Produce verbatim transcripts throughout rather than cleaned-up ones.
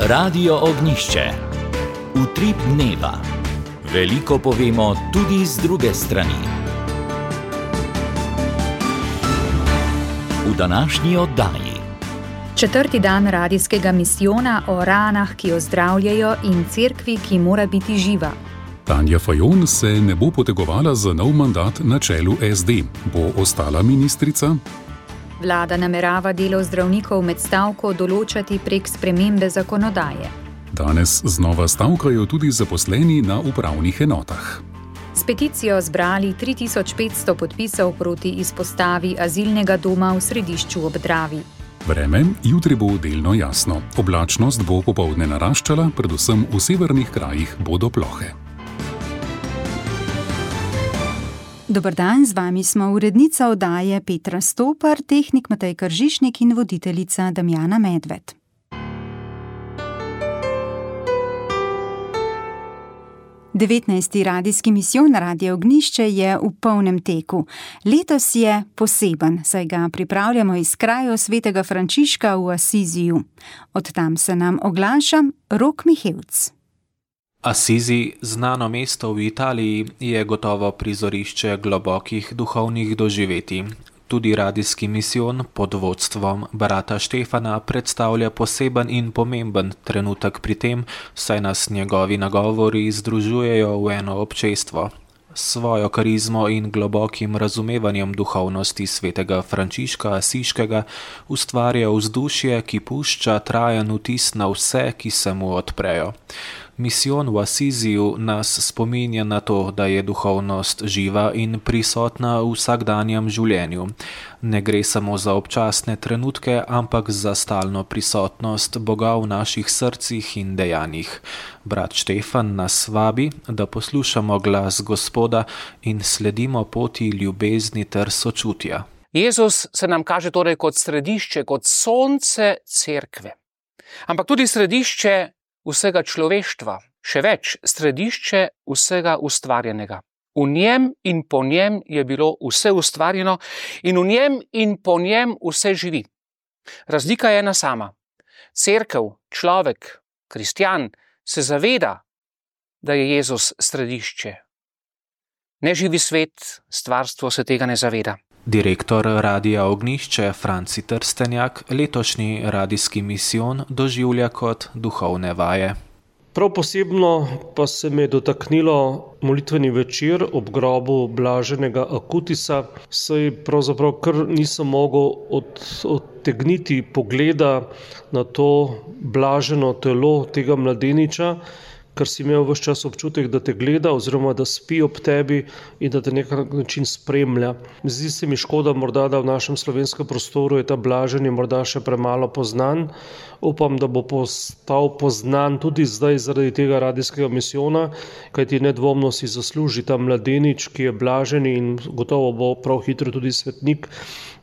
Radio Ognišče. Utrip dneva. Veliko povemo tudi z druge strani. V današnji oddaji. Četrti dan radijskega misijona o ranah, ki ozdravljajo, in cerkvi, ki mora biti živa. Tanja Fajon se ne bo potegovala za nov mandat na čelu es de. Bo ostala ministrica? Vlada namerava delo zdravnikov med stavko določati prek spremembe zakonodaje. Danes znova stavkajo tudi zaposleni na upravnih enotah. S peticijo zbrali tri tisoč petsto podpisov proti izpostavi azilnega doma v Središču ob Dravi. Vreme jutri bo delno jasno. Oblačnost bo popoldne naraščala, predvsem v severnih krajih bodo plohe. Dober dan, z vami smo urednica oddaje Petra Stopar, tehnik Matej Kržišnik in voditeljica Damjana Medved. devetnajsti radijski misijon Radio Ognišče je v polnem teku. Letos je poseben, saj ga pripravljamo iz krajev svetega Frančiška v Asiziju. Od tam se nam oglaša Rok Mihevc. Asizi, znano mesto v Italiji, je gotovo prizorišče globokih duhovnih doživetij. Tudi radijski misijon pod vodstvom brata Štefana predstavlja poseben in pomemben trenutek pri tem, saj nas njegovi nagovori združujejo v eno občestvo. S svojo karizmo in globokim razumevanjem duhovnosti svetega Frančiška Asiškega ustvarja vzdušje, ki pušča trajen vtis na vse, ki se mu odprejo. Misijon v Asiziju nas spominja na to, da je duhovnost živa in prisotna v vsakdanjem življenju. Ne gre samo za občasne trenutke, ampak za stalno prisotnost Boga v naših srcih in dejanjih. Brat Štefan nas vabi, da poslušamo glas Gospoda in sledimo poti ljubezni ter sočutja. Jezus se nam kaže torej kot središče, kot sonce cerkve, ampak tudi središče vsega človeštva, še več, središče vsega ustvarjenega. V njem in po njem je bilo vse ustvarjeno in v njem in po njem vse živi. Razlika je ena sama. Cerkev, človek, kristjan se zaveda, da je Jezus središče. Neživi svet, stvarstvo se tega ne zaveda. Direktor Radia Ognišče Franci Trstenjak letošnji radijski misijon doživlja kot duhovne vaje. Prav posebno pa se me je dotaknilo molitveni večer ob grobu blaženega Akutisa, saj pravzaprav kar nisem mogel od, odtegniti pogleda na to blaženo telo tega mladeniča, ker si imel ves čas občutek, da te gleda oziroma da spi ob tebi in da te na nek način spremlja. Zdi se mi škoda morda, da v našem slovenskem prostoru je ta blaženi morda še premalo poznan. Upam, da bo postal poznan tudi zdaj zaradi tega radijskega misijona, kajti nedvomno si zasluži ta mladenič, ki je blaženi in gotovo bo prav hitro tudi svetnik,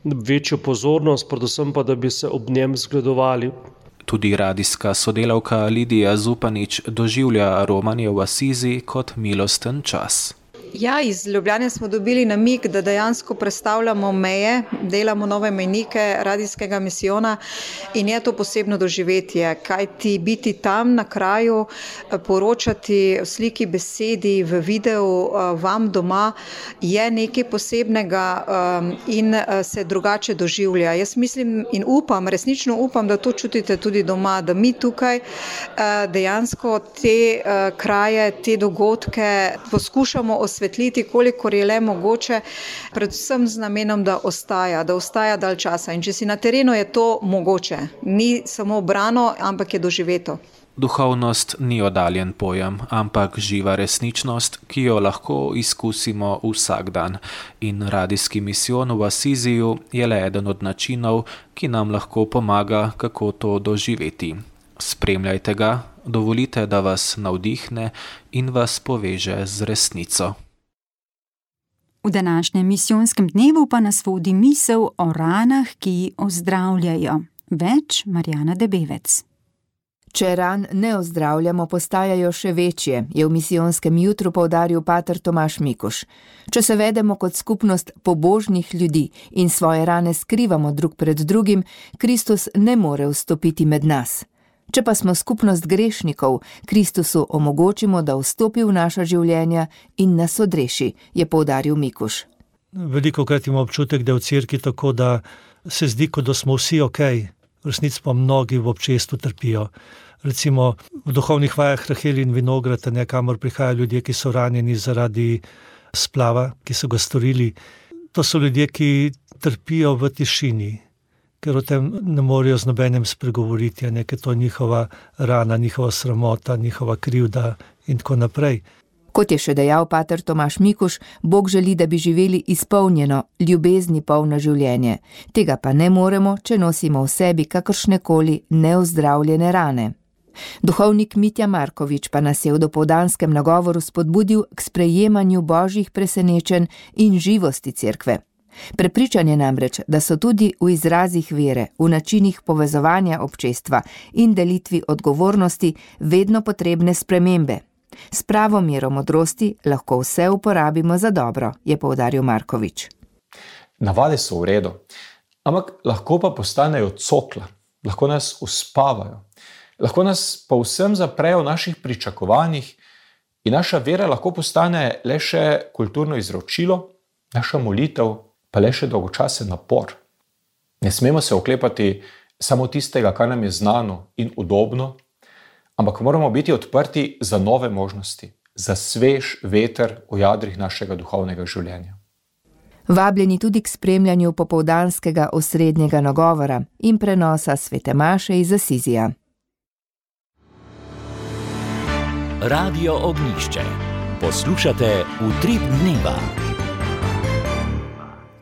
večjo pozornost, predvsem pa, da bi se ob njem zgledovali. Tudi radijska sodelavka Lidija Zupanič doživlja romanje v Asizi kot milosten čas. Ja, iz Ljubljane smo dobili namig, da dejansko prestavljamo meje, delamo nove mejnike radijskega misijona in je to posebno doživetje, kajti biti tam na kraju, poročati v sliki, besedi, v videu vam doma je nekaj posebnega in se drugače doživlja. Jaz mislim in upam, resnično upam, da to čutite tudi doma, da mi tukaj dejansko te kraje, te dogodke poskušamo osvetliti, svetliti, kolikor je le mogoče, predvsem z namenom, da ostaja, da ostaja dalj časa. In če si na terenu, je to mogoče. Ni samo brano, ampak je doživeto. Duhovnost ni oddaljen pojem, ampak živa resničnost, ki jo lahko izkusimo vsak dan. In radijski misijon v Asiziju je le eden od načinov, ki nam lahko pomaga, kako to doživeti. Spremljajte ga, dovolite, da vas navdihne in vas poveže z resnico. V današnjem misijonskem dnevu pa nas vodi misel o ranah, ki ozdravljajo. Več Marjana Debevec. Če ran ne ozdravljamo, postajajo še večje, je v misijonskem jutru poudaril pater Tomaž Mikuš. Če se vedemo kot skupnost pobožnih ljudi in svoje rane skrivamo drug pred drugim, Kristus ne more vstopiti med nas. Če pa smo skupnost grešnikov, Kristusu omogočimo, da vstopi v naša življenja in nas odreši, je poudaril Mikuš. Veliko krat imamo občutek, da je v cerkvi tako, da se zdi, kot da smo vsi ok, v resnici pa mnogi v občestvu trpijo. Recimo v duhovnih vajah Rahel in Vinograd, kamor prihajajo ljudje, ki so ranjeni zaradi splava, ki so ga storili. To so ljudje, ki trpijo v tišini, ker o tem ne morejo z nobenem spregovoriti, ker to je njihova rana, njihova sramota, njihova krivda in tako naprej. Kot je še dejal pater Tomaž Mikuš, Bog želi, da bi živeli izpolnjeno, ljubezni polno življenje. Tega pa ne moremo, če nosimo v sebi kakršnekoli neozdravljene rane. Duhovnik Mitja Markovič pa nas je v dopoldanskem nagovoru spodbudil k sprejemanju božjih presenečenj in živosti cerkve. Prepričan je namreč, da so tudi v izrazih vere, v načinih povezovanja občestva in delitvi odgovornosti vedno potrebne spremembe. S pravo mero modrosti lahko vse uporabimo za dobro, je poudaril Markovič. Navade so v redu, ampak lahko pa postanejo cokla, lahko nas uspavajo, lahko nas pa vsem zaprejo v naših pričakovanjih in naša vera lahko postane le še kulturno izročilo, naša molitev pa le še dolgočasen napor. Ne smemo se oklepati samo tistega, kar nam je znano in udobno, ampak moramo biti odprti za nove možnosti, za svež veter v jadrih našega duhovnega življenja. Vabljeni tudi k spremljanju popoldanskega osrednjega nagovora in prenosa svete maše iz Asizija. Radio Ognjišče. Poslušate Utrip dneva.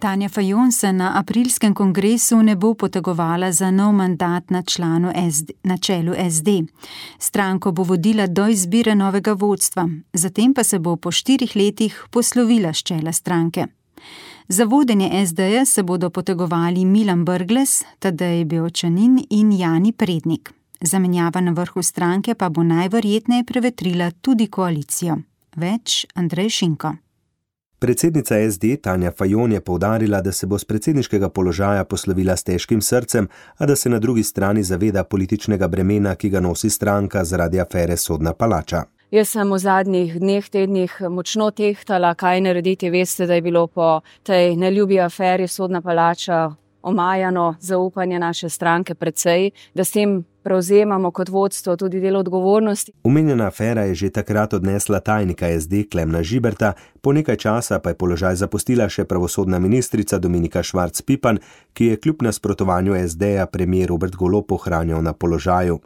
Tanja Fajon se na aprilskem kongresu ne bo potegovala za nov mandat na, članu S D, na čelu S D. Stranko bo vodila do izbire novega vodstva, zatem pa se bo po štirih letih poslovila s čela stranke. Za vodenje S D-ja se bodo potegovali Milan Brglez, Tadej Bevčanin in Jani Prednik. Zamenjava na vrhu stranke pa bo najverjetneje prevetrila tudi koalicijo. Več Andrej Šinko. Predsednica S D Tanja Fajon je poudarila, da se bo s predsedniškega položaja poslovila s težkim srcem, a da se na drugi strani zaveda političnega bremena, ki ga nosi stranka zaradi afere Sodna palača. Jaz sem v zadnjih dneh, tednih močno tehtala, kaj narediti. Veste, da je bilo po tej neljubi aferi Sodna palača omajano zaupanje naše stranke precej, da s tem prevzemamo kot vodstvo tudi del odgovornosti. Omenjena afera je že takrat odnesla tajnika S D Klemna Žiberta, po nekaj časa pa je položaj zapustila še pravosodna ministrica Dominika Švarc Pipan, ki je kljub nasprotovanju S D-ja premijer Robert Golob ohranjal na položaju.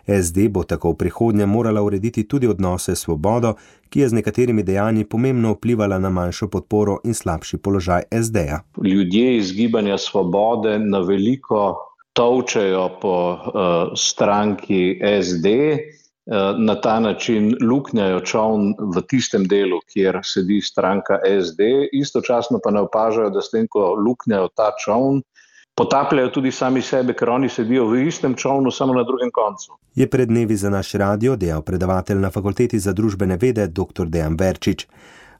S D bo tako v prihodnje morala urediti tudi odnose s Svobodo, ki je z nekaterimi dejanji pomembno vplivala na manjšo podporo in slabši položaj S D-ja. Ljudje iz Gibanja Svobode na veliko tolčejo po uh, stranki S D, uh, na ta način luknjajo čoln v tistem delu, kjer sedi stranka S D, istočasno pa ne opažajo, da s tem, ko luknjajo ta čoln, potapljajo tudi sami sebe, ker oni sedijo v istem čolnu, samo na drugem koncu. Je pred dnevi za naš radio dejal predavatelj na Fakulteti za družbene vede dr. Dejan Verčič.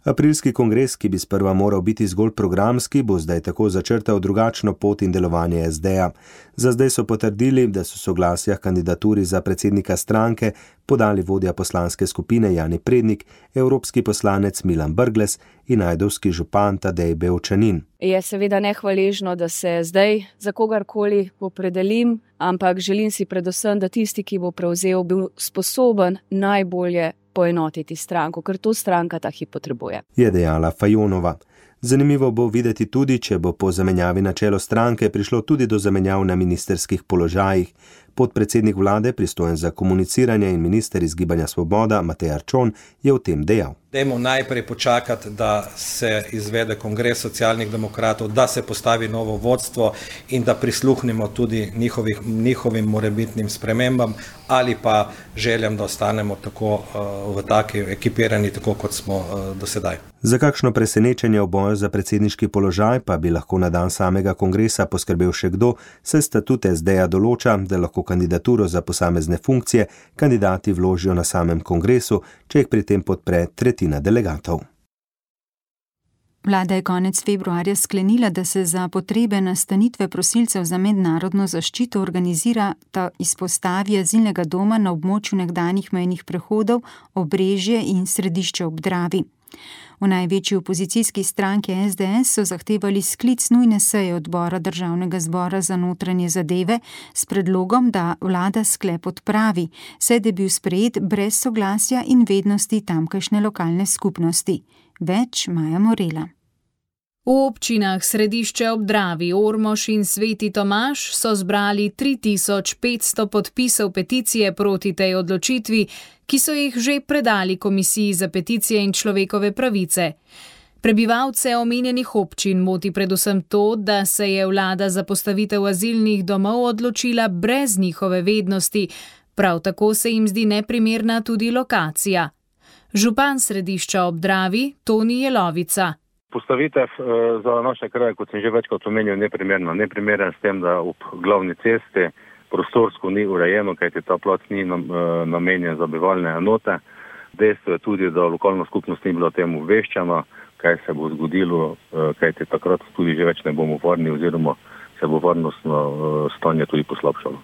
Aprilski kongres, ki bi sprva moral biti zgolj programski, bo zdaj tako začrtal drugačno pot in delovanje S D-ja. Za zdaj so potrdili, da so soglasja kandidaturi za predsednika stranke podali vodja poslanske skupine Jani Prednik, evropski poslanec Milan Brglez in ajdovski župan Tadej Bevčanin. Je seveda nehvaležno, da se zdaj za kogarkoli opredelim, ampak želim si predvsem, da tisti, ki bo prevzel, bil sposoben najbolje poenotiti stranko, ker to stranka ta hip potrebuje. Je dejala Fajonova. Zanimivo bo videti tudi, če bo po zamenjavi na čelo stranke prišlo tudi do zamenjav na ministerskih položajih. Podpredsednik vlade, pristojen za komuniciranje in minister iz Gibanja Svoboda, Matej Arčon, je o tem dejal. Dajmo najprej počakati, da se izvede kongres socialnih demokratov, da se postavi novo vodstvo in da prisluhnemo tudi njihovih, njihovim morebitnim spremembam ali pa željam, da ostanemo tako uh, v taki ekipirani, tako kot smo uh, do sedaj. Za kakšno presenečenje v boju za predsedniški položaj pa bi lahko na dan samega kongresa poskrbel še kdo, saj statut S D-ja določa, da lahko kandidaturo za posamezne funkcije kandidati vložijo na samem kongresu, če jih pri tem podpre tretjina delegatov. Vlada je konec februarja sklenila, da se za potrebe nastanitve prosilcev za mednarodno zaščito organizira ta izpostavi azilnega doma na območju nekdanjih mejnih prehodov Obrežje in Središče ob Dravi. V največji opozicijski stranki es de es so zahtevali sklic nujne seje odbora Državnega zbora za notranje zadeve s predlogom, da vlada sklep odpravi, saj da je bil sprejet brez soglasja in vednosti tamkajšnje lokalne skupnosti. Več Maja Morela. V občinah Središče ob Dravi, Ormož in Sveti Tomaž so zbrali tri tisoč petsto podpisov peticije proti tej odločitvi, ki so jih že predali Komisiji za peticije in človekove pravice. Prebivalce omenjenih občin moti predvsem to, da se je vlada za postavitev azilnih domov odločila brez njihove vednosti, prav tako se jim zdi neprimerna tudi lokacija. Župan Središča ob Dravi, Toni Jelovica. Postavitev za naše kraje, kot sem že večkrat omenil, neprimerna. Neprimeren s tem, da ob glavni cesti prostorsko ni urejeno, kajti ta plac ni namenjen za bivalne enote. Dejstvo je tudi, da lokalna skupnost ni bila temu obveščena, kaj se bo zgodilo, kajti takrat tudi že več ne bomo varni oziroma se bo varnostno stanje tudi poslabšalo.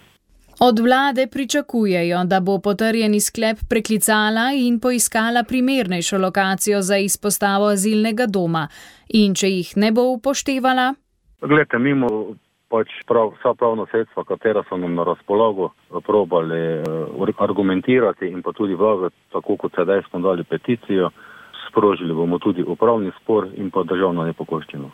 Od vlade pričakujejo, da bo potrjeni sklep preklicala in poiskala primernejšo lokacijo za izpostavo azilnega doma. In če jih ne bo upoštevala? Glejte, mimo pač prav, vsa pravna sredstva, katera so nam na razpolago, probali argumentirati in pa tudi vlagati, tako kot sedaj smo dali peticijo, sprožili bomo tudi upravni spor in pa državno nepokoščino.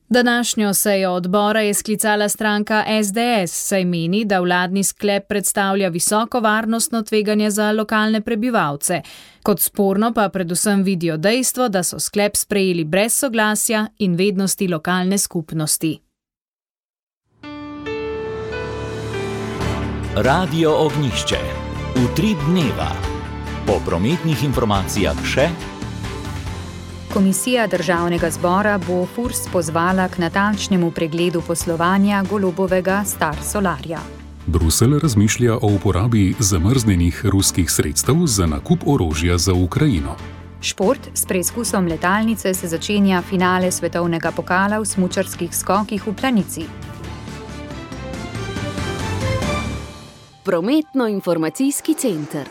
Današnjo sejo odbora je sklicala stranka es de es, saj meni, da vladni sklep predstavlja visoko varnostno tveganje za lokalne prebivalce. Kot sporno pa predvsem vidijo dejstvo, da so sklep sprejeli brez soglasja in vednosti lokalne skupnosti. Radio Ognjišče. Utrip dneva. Po prometnih informacijah še. Komisija Državnega zbora bo Furs pozvala k natančnemu pregledu poslovanja Golobovega Star Solarja. Bruselj razmišlja o uporabi zamrznjenih ruskih sredstev za nakup orožja za Ukrajino. Šport s preizkusom letalnice se začenja finale svetovnega pokala v smučarskih skokih v Planici. Prometno-informacijski center.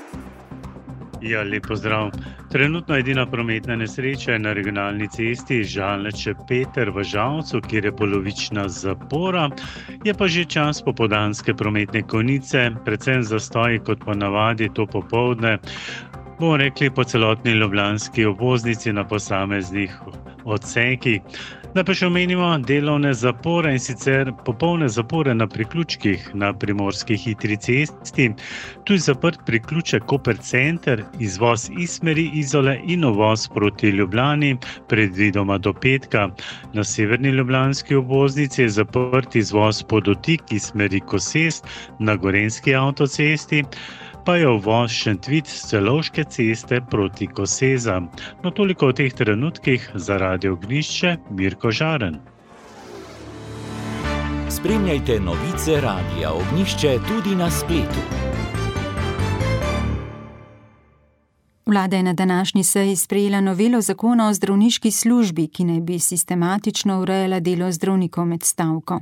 Ja, lep pozdrav. Trenutno edina prometna nesreča je na regionalni cesti Žalneče-Peter v Žalcu, kjer je polovična zapora. Je pa že čas popoldanske prometne konice, predvsem zastoji kot ponavadi to popoldne. Bomo rekli po celotni ljubljanski obvoznici na posameznih odsekih. Da pa še omenimo delovne zapore in sicer popolne zapore na priključkih na primorski hitri cesti. Tu je zaprt priključek Koper center, izvoz iz smeri Izole in uvoz proti Ljubljani, predvidoma do petka. Na severni ljubljanski obvoznici je zaprt izvoz Podotik iz smeri Kosest na Gorenjski avtocesti, pa je uvoz Šentvid s Celovške ceste proti Kosezam. No toliko v teh trenutkih za Radio Ognjišče, Mirko Žaren. Spremljajte novice Radia Ognjišče tudi na spletu. Vlada je na današnji seji sprejela novelo zakona o zdravniški službi, ki naj bi sistematično urejala delo zdravnikov med stavko.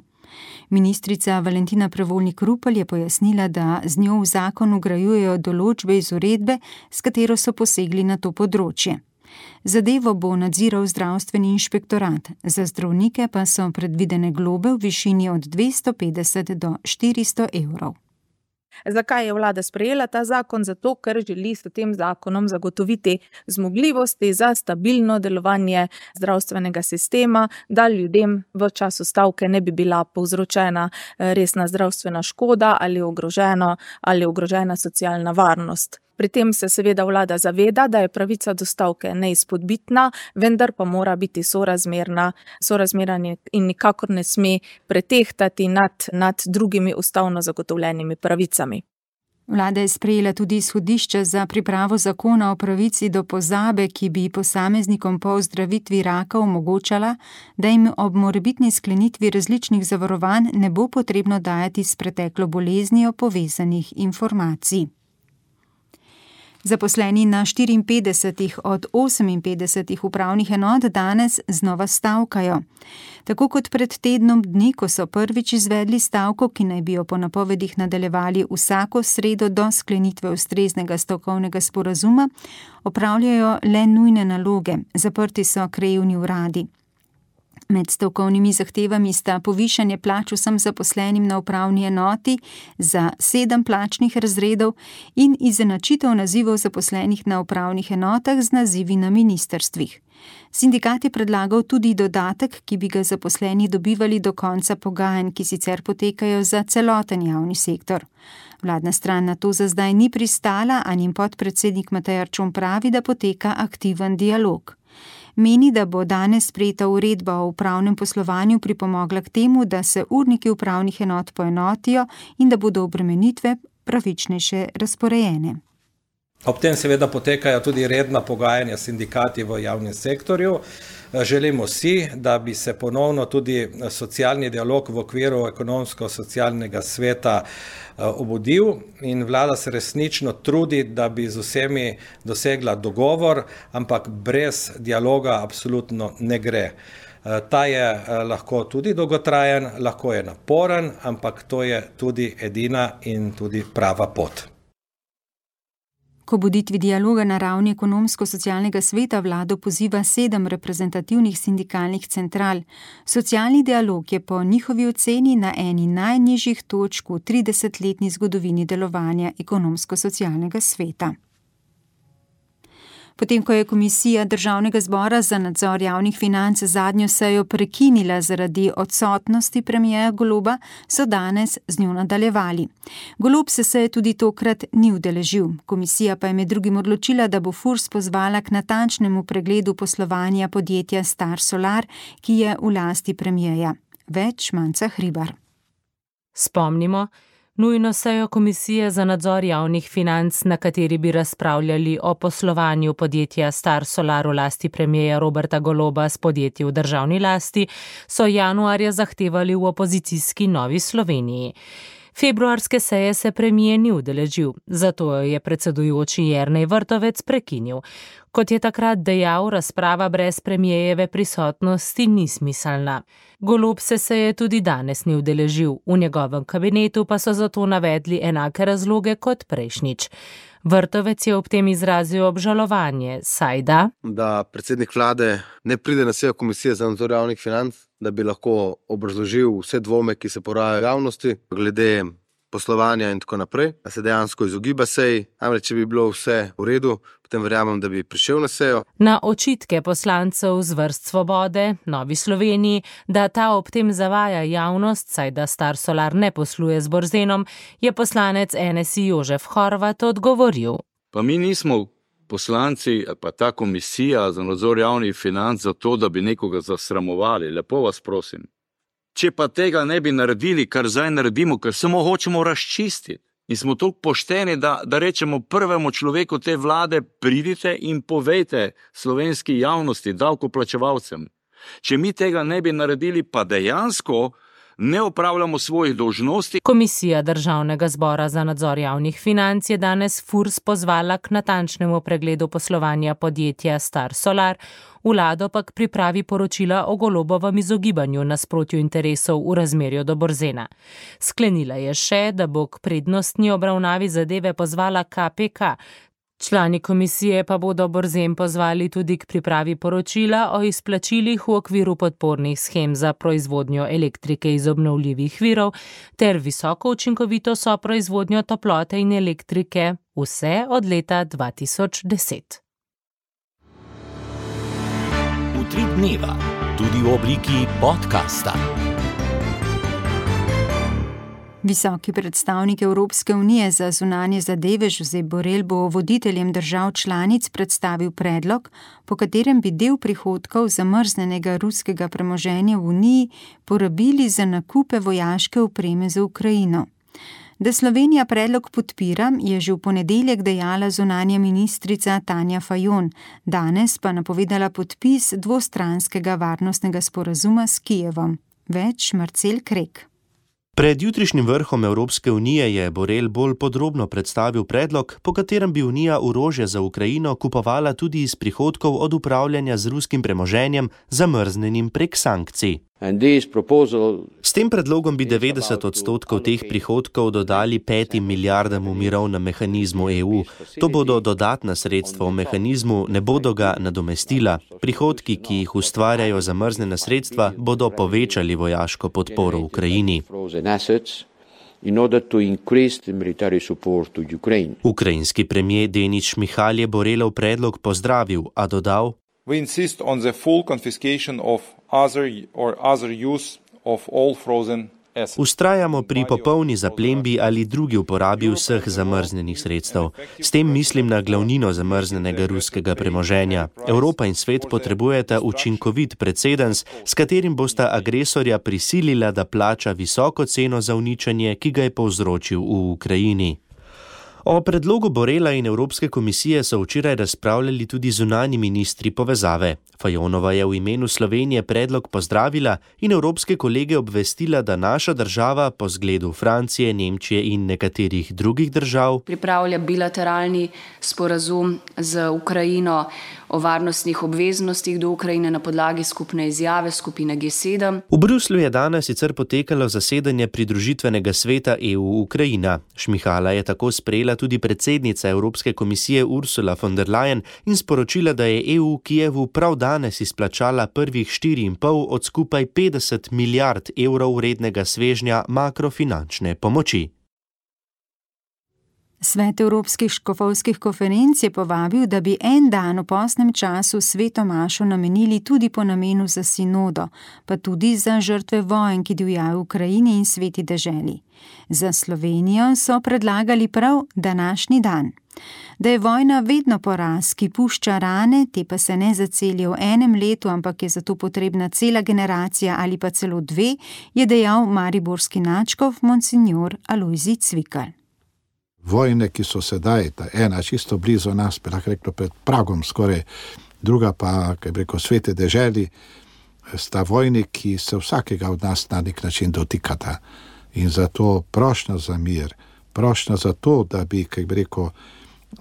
Ministrica Valentina Prevolnik Rupel je pojasnila, da z njo v zakon vgrajujejo določbe iz uredbe, s katero so posegli na to področje. Zadevo bo nadziral zdravstveni inšpektorat, za zdravnike pa so predvidene globe v višini od dvesto petdeset do štiristo evrov. Zakaj je vlada sprejela ta zakon? Zato, ker želi s tem zakonom zagotoviti zmogljivosti za stabilno delovanje zdravstvenega sistema, da ljudem v času stavke ne bi bila povzročena resna zdravstvena škoda ali ogrožena, ali ogrožena socialna varnost. Pri tem se seveda vlada zaveda, da je pravica do stavke neizpodbitna, vendar pa mora biti sorazmerna, sorazmerna in nikakor ne sme pretehtati nad, nad drugimi ustavno zagotovljenimi pravicami. Vlada je sprejela tudi izhodišče za pripravo zakona o pravici do pozabe, ki bi posameznikom po ozdravitvi raka omogočala, da jim ob morebitni sklenitvi različnih zavarovanj ne bo potrebno dajati s preteklo boleznijo povezanih informacij. Zaposleni na štiriinpetdesetih od oseminpetdesetih upravnih enot danes znova stavkajo. Tako kot pred tednom dni, ko so prvič izvedli stavko, ki naj bi jo po napovedih nadaljevali vsako sredo do sklenitve ustreznega stavkovnega sporazuma, opravljajo le nujne naloge, zaprti so krajevni uradi. Med stavkovnimi zahtevami sta povišanje plač vsem zaposlenim na upravni enoti za sedem plačnih razredov in izenačitev nazivov zaposlenih na upravnih enotah z nazivi na ministrstvih. Sindikat je predlagal tudi dodatek, ki bi ga zaposleni dobivali do konca pogajanj, ki sicer potekajo za celoten javni sektor. Vladna stran na to za zdaj ni pristala, a njen podpredsednik Matej Arčon pravi, da poteka aktiven dialog. Meni, da bo danes sprejeta uredba o upravnem poslovanju pripomogla k temu, da se urniki upravnih enot poenotijo in da bodo obremenitve pravičnejše razporejene. Ob tem seveda potekajo tudi redna pogajanja s sindikati v javnem sektorju. Želimo si, da bi se ponovno tudi socialni dialog v okviru ekonomsko-socialnega sveta obudil in vlada se resnično trudi, da bi z vsemi dosegla dogovor, ampak brez dialoga absolutno ne gre. Ta je lahko tudi dolgotrajen, lahko je naporen, ampak to je tudi edina in tudi prava pot. K obuditvi dialoga na ravni ekonomsko-socialnega sveta vlado poziva sedem reprezentativnih sindikalnih central. Socialni dialog je po njihovi oceni na eni najnižjih točk v tridesetletni zgodovini delovanja ekonomsko-socialnega sveta. Potem, ko je Komisija Državnega zbora za nadzor javnih financ zadnjo sejo prekinila zaradi odsotnosti premierja Goloba, so danes z njo nadaljevali. Golob se seje tudi tokrat ni udeležil. Komisija pa je med drugim odločila, da bo Furs pozvala k natančnemu pregledu poslovanja podjetja Star Solar, ki je v lasti premierja. Več Manca Hribar. Spomnimo, nujno sejo Komisije za nadzor javnih financ, na kateri bi razpravljali o poslovanju podjetja Star Solar v lasti premierja Roberta Goloba s podjetji v državni lasti, so januarja zahtevali v opozicijski Novi Sloveniji. Februarske seje se premijer ni udeležil, zato je predsedujoči Jernej Vrtovec prekinil. Kot je takrat dejal, razprava brez premijerjeve prisotnosti ni smiselna. Golob se seje tudi danes ni udeležil, v njegovem kabinetu pa so zato navedli enake razloge kot prejšnjič. Vrtovec je ob tem izrazil obžalovanje, saj da, da predsednik vlade ne pride na sejo Komisije za nadzor javnih financ, da bi lahko obrazložil vse dvome, ki se porajajo v javnosti glede poslovanja in tako naprej, da se dejansko izogiba seji. Namreč, če bi bilo vse v redu, potem verjamem, da bi prišel na sejo. Na očitke poslancev z vrst Svobode, Novi Sloveniji, da ta ob tem zavaja javnost, saj da Star Solar ne posluje z Borzenom, je poslanec N S I Jožef Horvat odgovoril. Pa mi nismo poslanci, pa ta komisija za nadzor javnih financ za to, da bi nekoga zasramovali. Lepo vas prosim. Če pa tega ne bi naredili, kar zdaj naredimo, ker samo hočemo razčistiti in smo toliko pošteni, da, da rečemo prvemu človeku te vlade, pridite in povejte slovenski javnosti, davkoplačevalcem. Če mi tega ne bi naredili, pa dejansko ne opravljamo svojih dolžnosti. Komisija Državnega zbora za nadzor javnih financ je danes Furs pozvala k natančnemu pregledu poslovanja podjetja Star Solar, vlado pa k pripravi poročila o Golobovem izogibanju nasprotju interesov v razmerju do Borzena. Sklenila je še, da bo k prednostni obravnavi zadeve pozvala K P K. Člani komisije pa bodo Borzen pozvali tudi k pripravi poročila o izplačilih v okviru podpornih shem za proizvodnjo elektrike iz obnovljivih virov ter visoko učinkovito soproizvodnjo toplote in elektrike, vse od leta dva tisoč deset. Utrip dneva, tudi v obliki podcasta. Visoki predstavnik Evropske unije za zunanje zadeve Josep Borrell bo voditeljem držav članic predstavil predlog, po katerem bi del prihodkov zamrznenega ruskega premoženja v Uniji porabili za nakupe vojaške opreme za Ukrajino. Da Slovenija predlog podpira, je že v ponedeljek dejala zunanja ministrica Tanja Fajon, danes pa napovedala podpis dvostranskega varnostnega sporazuma s Kijevom. Več Marcel Krek. Pred jutrišnjim vrhom Evropske unije je Borrell bolj podrobno predstavil predlog, po katerem bi Unija orožje za Ukrajino kupovala tudi iz prihodkov od upravljanja z ruskim premoženjem, zamrznenim prek sankcij. S tem predlogom bi devetdeset odstotkov teh prihodkov dodali petim milijardam v mirovnem mehanizmu E U. To bodo dodatna sredstva v mehanizmu, ne bodo ga nadomestila. Prihodki, ki jih ustvarjajo zamrznjena sredstva, bodo povečali vojaško podporo Ukrajini. Ukrajinski premijer Denis Šmihal je Borrellov predlog pozdravil, a dodal: We insist on the full confiscation of other or other use of all frozen assets. Ustrajamo pri popolni zaplembi ali drugi uporabi vseh zamrznjenih sredstev. S tem mislim na glavnino zamrznjenega ruskega premoženja. Evropa in svet potrebujeta učinkovit precedens, s katerim bosta agresorja prisilila, da plača visoko ceno za uničenje, ki ga je povzročil v Ukrajini. O predlogu Borrella in Evropske komisije so včeraj razpravljali tudi zunanji ministri povezave. Fajonova je v imenu Slovenije predlog pozdravila in evropske kolege obvestila, da naša država po zgledu Francije, Nemčije in nekaterih drugih držav pripravlja bilateralni sporazum z Ukrajino o varnostnih obveznostih do Ukrajine na podlagi skupne izjave skupine G sedem. V Bruslju je danes sicer potekalo zasedanje pridružitvenega sveta E U Ukrajina. Šmihala je tako sprejela tudi predsednica Evropske komisije Ursula von der Leyen in sporočila, da je E U Kijevu prav danes izplačala prvih štiri in pol od skupaj petdeset milijard evrov vrednega svežnja makrofinančne pomoči. Svet Evropskih škofovskih konferenc je povabil, da bi en dan v postnem času sveto mašo namenili tudi po namenu za sinodo, pa tudi za žrtve vojn, ki divjajo v Ukrajini in sveti deželi. Za Slovenijo so predlagali prav današnji dan. Da je vojna vedno poraz, ki pušča rane, te pa se ne zacelijo v enem letu, ampak je zato potrebna cela generacija ali pa celo dve, je dejal mariborski nadškof monsinjor Alojzij Cvikl. Vojne, ki so sedaj, ta ena čisto blizu nas, bi lahko rekel pred pragom skoraj, druga pa, kaj bi rekel, svete deželi, sta vojni, ki se vsakega od nas na nek način dotikata. In zato prošnja za mir, prošnja za to, da bi, kaj bi rekel,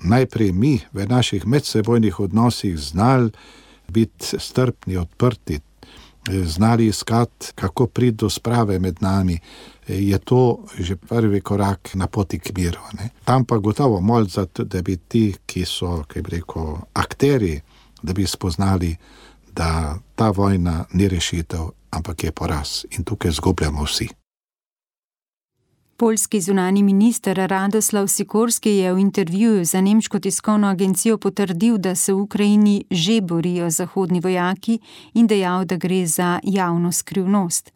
najprej mi v naših medsebojnih odnosih znali biti strpni, odprti, znali iskati, kako priti do sprave med nami, je to že prvi korak na poti k miru. Ne? Tam pa gotovo molj za to, da bi ti, ki so, kaj bi rekel, akteri, da bi spoznali, da ta vojna ni rešitev, ampak je poraz in tukaj zgubljamo vsi. Poljski zunani minister Radoslav Sikorski je v intervjuju za nemško tiskovno agencijo potrdil, da se v Ukrajini že borijo zahodni vojaki in dejal, da gre za javno skrivnost.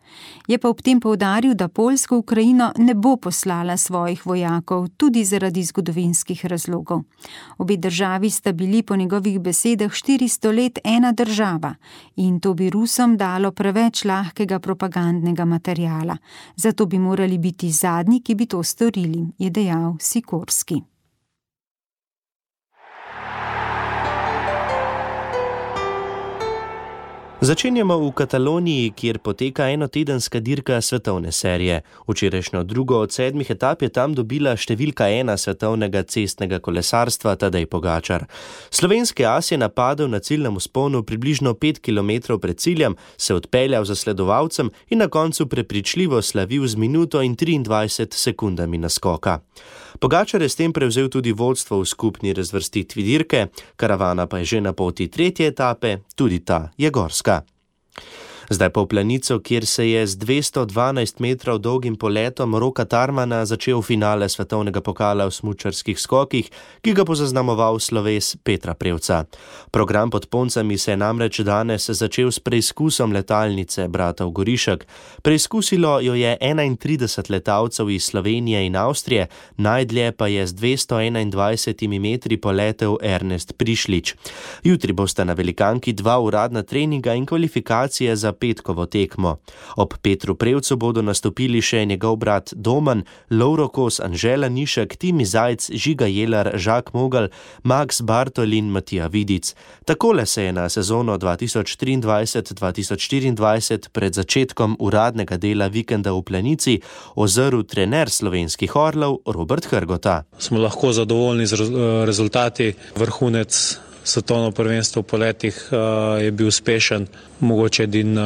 Je pa ob tem poudaril, da Poljska v Ukrajino ne bo poslala svojih vojakov, tudi zaradi zgodovinskih razlogov. Obe državi sta bili po njegovih besedah štiristo let ena država in to bi Rusom dalo preveč lahkega propagandnega materiala. Zato bi morali biti zadnji, ki bi to storili, je dejal Sikorski. Začenjamo v Kataloniji, kjer poteka enotedenska dirka svetovne serije. Včerajšnjo drugo od sedmih etap je tam dobila številka ena svetovnega cestnega kolesarstva Tadej Pogačar. Slovenski as je napadel na ciljnem vzponu približno pet kilometrov pred ciljem, se odpeljal za sledovalcem in na koncu prepričljivo slavil z minuto in triindvajset sekundami naskoka. Pogačar je s tem prevzel tudi vodstvo v skupni razvrstitvi dirke, karavana pa je že na poti tretje etape, tudi ta je gorska. Zdaj pa v planico, kjer se je z dvesto dvanajst metrov dolgim poletom Roka Tarmana začel finale svetovnega pokala v smučarskih skokih, ki ga bo zaznamoval sloves Petra Prevca. Program pod Poncami se je namreč danes začel s preizkusom letalnice bratov Gorišek. Preizkusilo jo je enaintrideset letalcev iz Slovenije in Avstrije, najdlje pa je z dvesto enaindvajsetimi metri poletel Ernest Prišlič. Jutri bosta na velikanki dva uradna treninga in kvalifikacije za petkovo tekmo. Ob Petru Prevcu bodo nastopili še njegov brat Domen, Lovro Kos, Anžela Nišek, Timi Zajc, Žiga Jelar, Žak Mogel, Max Bartol in Matija Vidic. Takole se je na sezono dva tisoč triindvajset dva tisoč štiriindvajset pred začetkom uradnega dela vikenda v Planici ozrl trener slovenskih orlov Robert Hrgota. Smo lahko zadovoljni z rezultati. Vrhunec svetovno prvenstvo v poletih je bil uspešen. Mogoče edin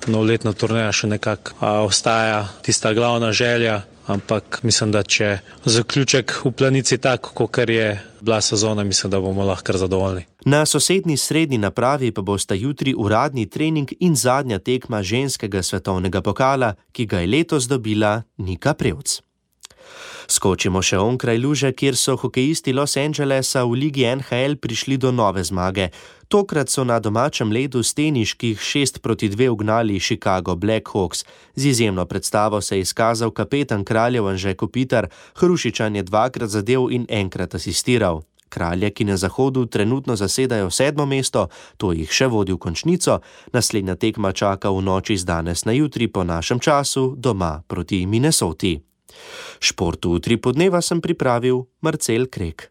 novoletna turneja še nekako ostaja tista glavna želja, ampak mislim, da če zaključek v Planici tak, kakor je bila sezona, mislim, da bomo lahko kar zadovoljni. Na sosednji srednji napravi pa bosta jutri uradni trening in zadnja tekma ženskega svetovnega pokala, ki ga je letos dobila Nika Prevc. Skočimo še onkraj luže, kjer so hokejisti Los Angelesa v ligi N H L prišli do nove zmage. Tokrat so na domačem ledu steniških šest proti dve ugnali Chicago Blackhawks. Z izjemno predstavo se je izkazal kapetan Kraljev Anže Kopitar, Hrušičan je dvakrat zadev in enkrat asistiral. Kralje, ki na zahodu trenutno zasedajo sedmo mesto, to jih še vodi v končnico, naslednja tekma čaka v noči z danes na jutri po našem času doma proti Minnesoti. Športu v Utripu dneva sem pripravil Marcel Krek.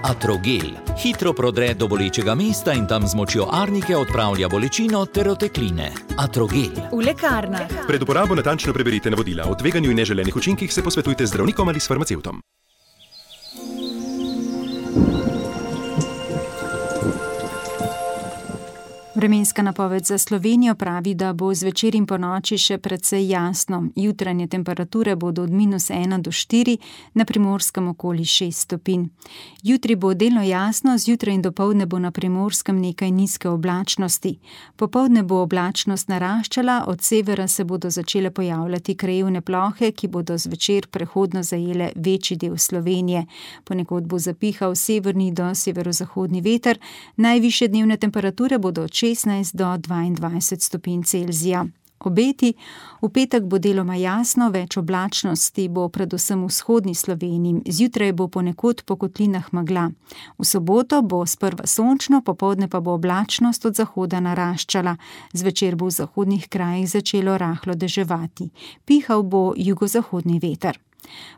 Atrogel hitro prodre do bolečega mesta in tam z močjo arnike odpravlja bolečino ter otekline. Atrogel. V lekarnah. Pred uporabo natančno preberite navodila. O tveganju in neželenih učinkih se posvetujte z zdravnikom ali s farmacevtom. Vremenska napoved za Slovenijo pravi, da bo zvečer in ponoči še precej jasno. Jutranje temperature bodo od minus ena do štiri, na Primorskem okoli šest stopinj. Jutri bo delno jasno, zjutraj in dopoldne bo na Primorskem nekaj nizke oblačnosti. Popoldne bo oblačnost naraščala, od severa se bodo začele pojavljati krajevne plohe, ki bodo zvečer prehodno zajele večji del Slovenije. Ponekod bo zapihal severni do severozahodni veter, najvišje dnevne temperature bodo od šestnajst do dvaindvajset stopinj Celzija. Obeti: v petek bo deloma jasno, več oblačnosti bo predvsem v vzhodni Sloveniji, zjutraj bo ponekod po kotlinah megla. V soboto bo sprva sončno, popoldne pa bo oblačnost od zahoda naraščala. Zvečer bo v zahodnih krajih začelo rahlo deževati. Pihal bo jugozahodni veter.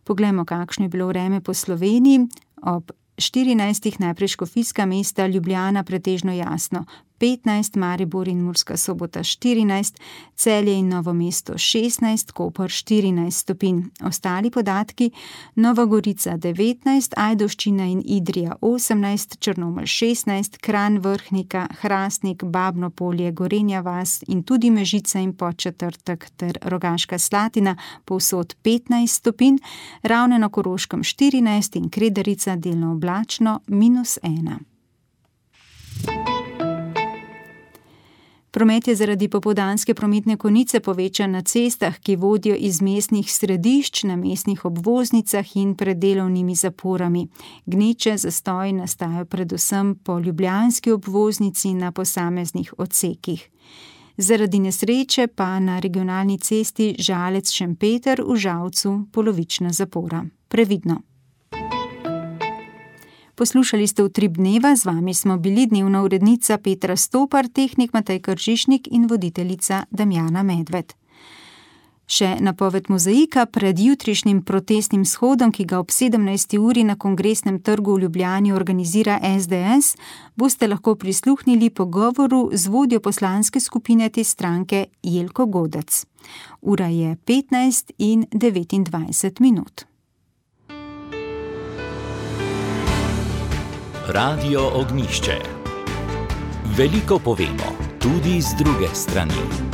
Poglejmo, kakšno je bilo vreme po Sloveniji. Ob štirinajstih najprej škofijska mesta, Ljubljana pretežno jasno, petnajst, Maribor in Murska Sobota štirinajst, Celje in Novo mesto šestnajst, Koper štirinajst stopinj. Ostali podatki: Nova Gorica devetnajst, Ajdovščina in Idrija osemnajst, Črnomelj šestnajst, Kranj, Vrhnika, Hrastnik, Babno Polje, Gorenja vas in tudi Mežica in Podčetrtek ter Rogaška Slatina povsod petnajst stopinj, Ravne na Koroškem štirinajst in Kredarica delno oblačno minus ena. Promet je zaradi popoldanske prometne konice povečan na cestah, ki vodijo iz mestnih središč, na mestnih obvoznicah in pred delovnimi zaporami. Gneče, zastoji nastajajo predvsem po ljubljanski obvoznici na posameznih odsekih. Zaradi nesreče pa na regionalni cesti Žalec-Šempeter v Žalcu polovična zapora. Previdno. Poslušali ste Utrip dneva, z vami smo bili dnevna urednica Petra Stopar, tehnik Matej Kržišnik in voditeljica Damjana Medved. Še napoved mozaika: pred jutrišnjim protestnim shodom, ki ga ob sedemnajsti uri na Kongresnem trgu v Ljubljani organizira S D S, boste lahko prisluhnili pogovoru z vodjo poslanske skupine te stranke Jelko Godec. Ura je petnajst in devetindvajset minut. Radio Ognjišče. Veliko povemo, tudi z druge strani.